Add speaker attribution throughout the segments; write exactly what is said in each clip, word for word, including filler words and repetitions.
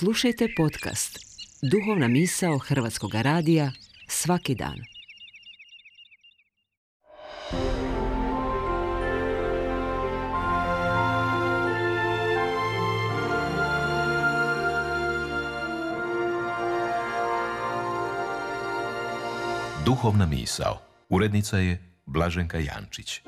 Speaker 1: Slušajte podcast Duhovna misao Hrvatskog radija svaki dan.
Speaker 2: Duhovna misao. Urednica je Blaženka Jančić.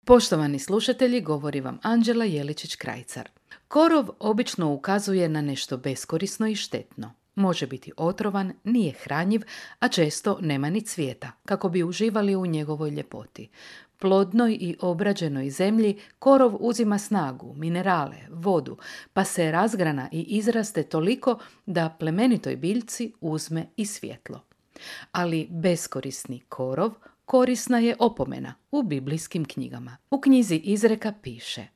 Speaker 3: Poštovani slušatelji, govori vam Anđela Jeličić-Krajcar. Korov obično ukazuje na nešto beskorisno i štetno. Može biti otrovan, nije hranjiv, a često nema ni cvijeta, kako bi uživali u njegovoj ljepoti. Plodnoj i obrađenoj zemlji korov uzima snagu, minerale, vodu, pa se razgrana i izraste toliko da plemenitoj biljci uzme i svjetlo. Ali beskorisni korov korisna je opomena u biblijskim knjigama. U knjizi Izreka piše: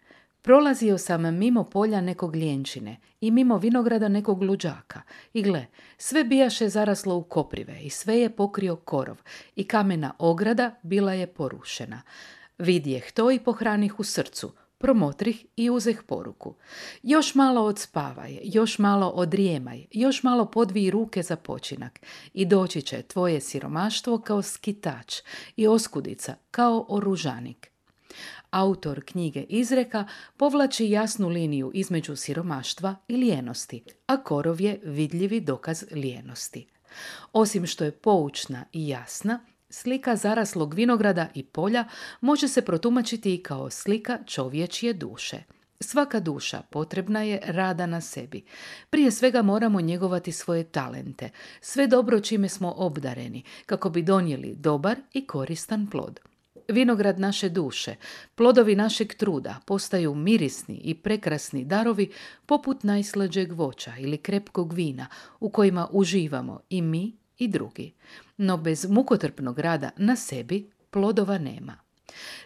Speaker 3: prolazio sam mimo polja nekog ljenčine i mimo vinograda nekog luđaka i gle, sve bijaše zaraslo u koprive i sve je pokrio korov i kamena ograda bila je porušena. Vidjeh to i pohranih u srcu, promotrih i uzeh poruku. Još malo odspavaj, još malo odrijemaj, još malo podvij ruke za počinak i doći će tvoje siromaštvo kao skitač i oskudica kao oružanik. Autor knjige Izreka povlači jasnu liniju između siromaštva i lijenosti, a korov je vidljivi dokaz lijenosti. Osim što je poučna i jasna, slika zaraslog vinograda i polja može se protumačiti i kao slika čovječje duše. Svaka duša potrebna je rada na sebi. Prije svega moramo njegovati svoje talente, sve dobro čime smo obdareni, kako bi donijeli dobar i koristan plod. Vinograd naše duše, plodovi našeg truda postaju mirisni i prekrasni darovi poput najslađeg voća ili krepkog vina u kojima uživamo i mi i drugi. No bez mukotrpnog rada na sebi plodova nema.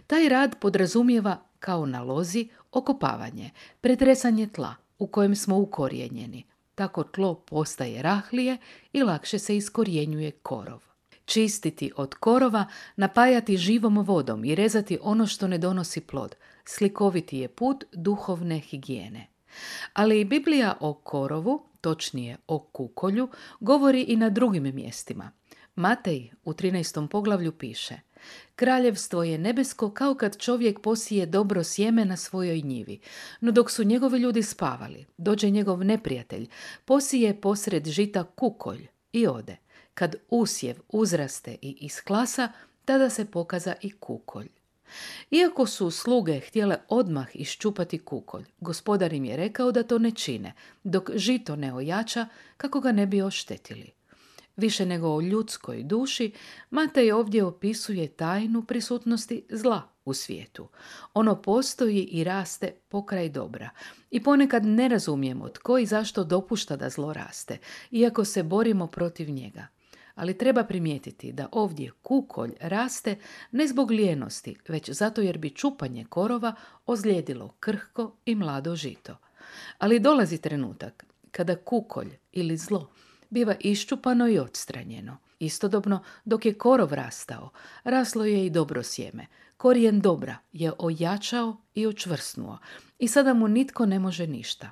Speaker 3: Taj rad podrazumijeva, kao na lozi, okopavanje, pretresanje tla u kojem smo ukorijenjeni. Tako tlo postaje rahlije i lakše se iskorjenjuje korov. Čistiti od korova, napajati živom vodom i rezati ono što ne donosi plod. Slikoviti je put duhovne higijene. Ali Biblija o korovu, točnije o kukolju, govori i na drugim mjestima. Matej u trinaestom poglavlju piše: kraljevstvo je nebesko kao kad čovjek posije dobro sjeme na svojoj njivi, no dok su njegovi ljudi spavali, dođe njegov neprijatelj, posije posred žita kukolj i ode. Kad usjev uzraste i isklasa, tada se pokaza i kukolj. Iako su sluge htjele odmah iščupati kukolj, gospodar im je rekao da to ne čine, dok žito ne ojača, kako ga ne bi oštetili. Više nego o ljudskoj duši, Matej ovdje opisuje tajnu prisutnosti zla u svijetu. Ono postoji i raste pokraj dobra. I ponekad ne razumijemo tko i zašto dopušta da zlo raste, iako se borimo protiv njega. Ali treba primijetiti da ovdje kukolj raste ne zbog lijenosti, već zato jer bi čupanje korova ozlijedilo krhko i mlado žito. Ali dolazi trenutak kada kukolj ili zlo biva iščupano i odstranjeno. Istodobno, dok je korov rastao, raslo je i dobro sjeme. Korijen dobra je ojačao i učvrsnuo i sada mu nitko ne može ništa.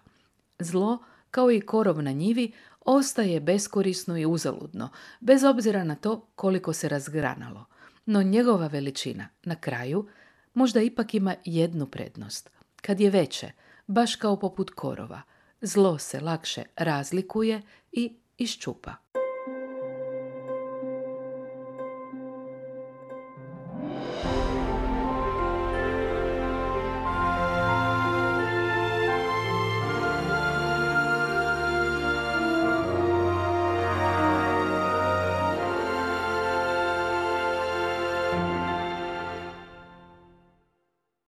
Speaker 3: Zlo, kao i korov na njivi, ostaje beskorisno i uzaludno, bez obzira na to koliko se razgranalo. No njegova veličina, na kraju, možda ipak ima jednu prednost. Kad je veće, baš kao poput korova, zlo se lakše razlikuje i iščupa.